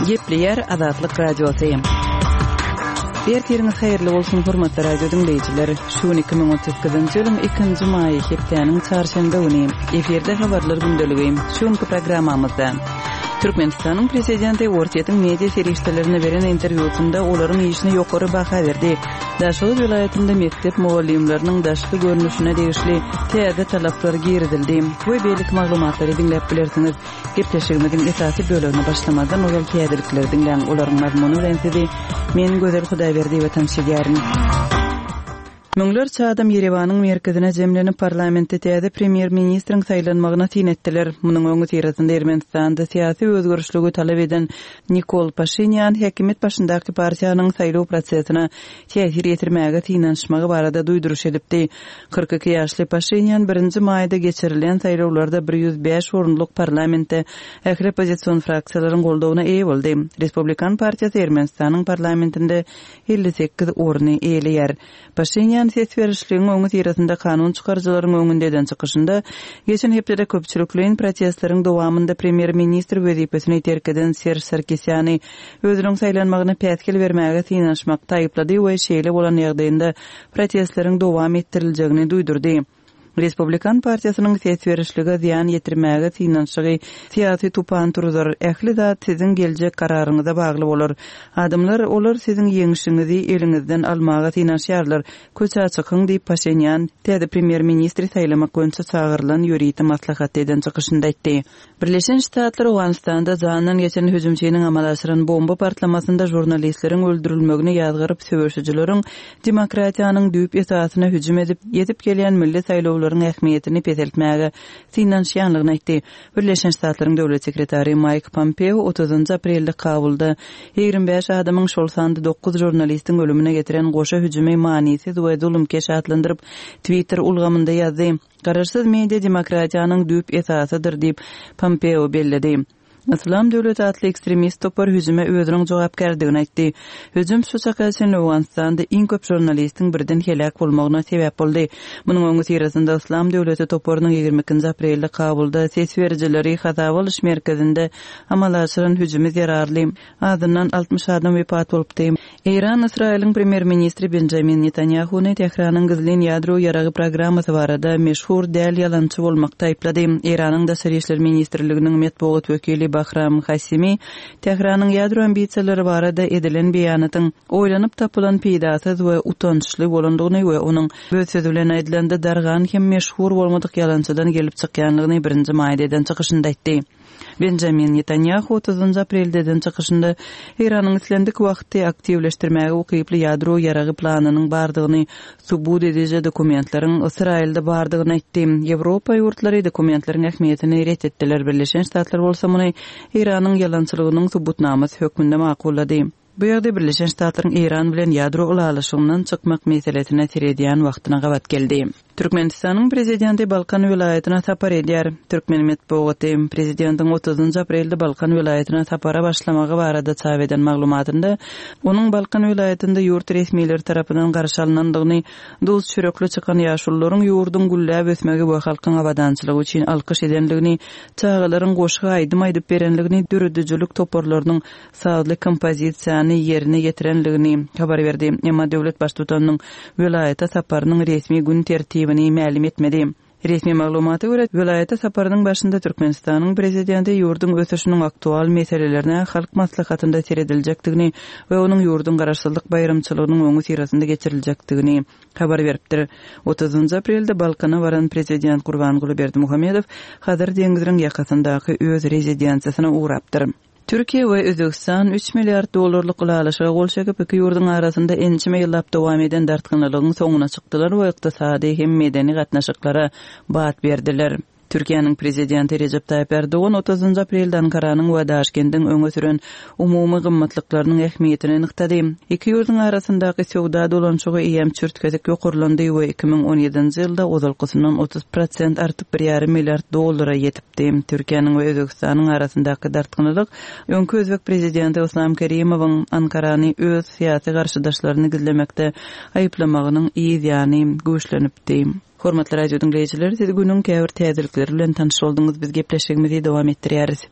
Gepleýär Azatlyk Radiosy. Ertiriňiz haýyrly bolsun, hormatly radio diňleýjiler! Şu gün 2018-nji ýylyň ikinji maýy, hepdäniň çarşenbe güni. Efirde habarlar gündeligi. Şu günki programmamyzda Türkmenistanyň Prezidenti Orsýetiň media serişdelerine beren interwýusynda olaryň işine ýokary baha berdi. Daşoguz welaýatynda mekdep mugallymlarynyň daşky görnüşine degişli täze talaplar girizildi we beýleki maglumatlary diňläp bilersiňiz. Gepleşigimiziň esasy bölegine başlamazdan ozal täzelikleri diňläň, olaryň mazmuny bilen sizi men Gözel Hudaýberdiýewa tanyş edýärin. Müňlerçe adam Ýerewanyň merkezine jemlenip, parlamentde täze premýer-ministriň saýlanmagyna syn etdiler. Munuň öňüsyrasynda Ermenistanda syýasy özgerişligi talap eden Nikol Paşinýan häkimiýet başyndaky partiýanyň saýlaw prosesine täsir ýetirmäge synanyşmagy barada duýduryş edipdi. 42 ýaşly Paşinýan birinji maýda geçirilen saýlawlarda 105 orunlyk parlamentde ähli oppozision fraksiýalaryň goldawyna eýe boldy. Respublikan partiýasy Ermenistanyň parlamentinde 58 orny eýeleýär. Paşinýan ses berişligiň öňüsyrasynda kanun çykaryjylaryň öňünde eden çykyşynda, geçen hepdede köpçülikleýin protestleriň dowamynda premýer-ministr wezipesini terk eden Serž Sarkisýany özüniň saýlanmagyna päsgel bermäge synanyşmakda aýyplady we şeýle bolan ýagdaýynda protestleriň dowam etdiriljegini duýdurdy. Respublikan partiýasynyň ses berişlige zyýan ýetirmäge synanyşygy syýasy tupan turuzar. Ähli zat siziň geljek kararyňyza bagly bolar. Adamlar, olar siziň ýeňşiňizi eliňizden almaga synanyşýarlar. Köçä çykyň diýip, Paşinýan täze premýer-ministri saýlamak boýunça çagyrylan ýörite maslahatda eden çykyşynda aýtdy. Birleşen Ştatlar Owganystanda janyndan geçen hüjümçiniň amala aşyran bomba partlamasynda žurnalistleriň öldürilmegini ýazgaryp, söweşijileriň demokratiýanyň düýp esasyna hüjüm edip, ýetip gelýän milli saýlawlaryň ähmiýetini peseltmäge synanyşýanlygyny aýtdy. Birleşen Ştatlaryň döwlet sekretary Maýk Pompeo otuzynjy aprelde Kabulda 25 adamyň, şol sanda dokuz žurnalistiň ölümine getiren goşa hüjümi manysyz we zulumkeş atlandyryp, Twitter ulgamynda ýazdy. Garaşsyz media demokratiýanyň düýp esasydyr diýip, Pompeo belledi. Yslam döwleti atly ekstremist topar hüjüme özüniň jogapkärdigini aýtdy. Hüjüm şu çaka çenli Owganystanda iň köp žurnalistiň birden heläk bolmagyna sebäp boldy. Munuň öňüsyrasynda Yslam döwleti toparynyň 22-nji aprelde Kabulda ses berijileri hasaba alyş merkezinde amala aşyran hüjümi zerarly Azyndan 60 adam wepat bolupdy. Eýran Ysraýylyň premýer-ministri Benjamin Netanýahuny Tähranyň gizlin ýadro ýaragy programmasy barada meşhur däl ýalançy bolmakda aýyplady. Eýranyň Daşary işler ministrliginiň metbugat wekili Bahram Hasimi Tähranyň ýadro ambisiýalary barada edilen beýanatyň oýlanyp tapylan peýdasyz we utançly bolandygyny we onuň öz sözi bilen aýdylanda dargan hem meşhur bolmadyk ýalançydan gelip çykýanlygyny birinji maýda eden çykyşynda aýtdy. Benjamin Netanýahu otuzynjy aprelde eden çykyşynda Eýranyň islendik wagty aktiwleşdirmäge ukyply ýadro ýaragy planynyň bardygyny subut ediji dokumentleriň Ysraýylda bardygyny aýtdy. Ýewropa ýurtlary dokumentleriň ähmiýetini ret etdiler, Birleşen Ştatlar bolsa muny Eýranyň ýalançylygynyň subutnamasy hökmünde makullady. Bu ýagdaý Birleşen Ştatlaryň Eýran bilen ýadro ylalaşygyndan çykmak meselesine seredýän wagtyna gabat geldi. Türkmenistanyň Prezidenti Balkan welaýatyna sapar edýär. Türkmen metbugaty, Prezidentiň otuzynjy aprelde Balkan welaýatyna sapara başlamagy barada çap eden maglumatynda, onuň Balkan welaýatynda ýurt resmileri tarapyndan garşy alnandygyny, duz-çörekli çykan ýaşulularyň ýurduň gülläp ösmegi we halkyň abadançylygy üçin alkyş edendigini, çagalaryň goşgy aýdym aýdyp berendigini, döredijilik toparlarynyň sazly kompozisiýany ýerine ýetirendigini habar berdi. Emma döwlet Baştutanynyň welaýata saparynyň resmi gün tertibini mälim etmedi. Resmi maglumata görä, welaýata saparynyň başynda Türkmenistanyň Prezidenti ýurduň ösüşiniň aktual meselelerine Halk Maslahatynda serediljekdigini we onuň ýurduň Garaşsyzlyk baýramçylygynyň öňüsyrasynda geçiriljekdigini habar beripdir. Otuzynjy aprelde Balkana baran Prezident Gurbanguly Berdimuhamedow Hazar deňziniň ýakasyndaky öz rezidensiýasyna ugrapdyr. Türkiýe we Özbegistan üç milliard dollarlyk ylalaşyga gol çekip, iki ýurduň arasynda ençeme ýyllap dowam eden dartgynlylygyň soňuna çykdylar we ykdysady hem medeni gatnaşyklara bat berdiler. Türkiýäniň Prezidenti Rejep Taýyp Ärdogan otuzynjy aprelde Ankaranyň we Daşkendiň öňe süren umumy gymmatlyklarynyň ähmiýetini nygtady. Iki ýurduň arasyndaky söwda dolanyşygy eýýäm çürt-kesik ýokarlandy we 2017-nji ýylda ozalkysyndan 30 prosent artyp bir ýarym milliard dollara ýetipdi. Türkiýäniň we Özbegistanyň arasyndaky dartgynlylyk öňki özbek prezidenti Yslam Kerimowyň Ankarany öz syýasy garşydaşlaryny gizlemekde aýyplamagynyň yz ýany güýçlenipdi. Hormatly radio diňleýjiler, siz günüň käbir täzelikleri bilen tanyş bolduňyz, biz gepleşigimizi dowam etdirýäris.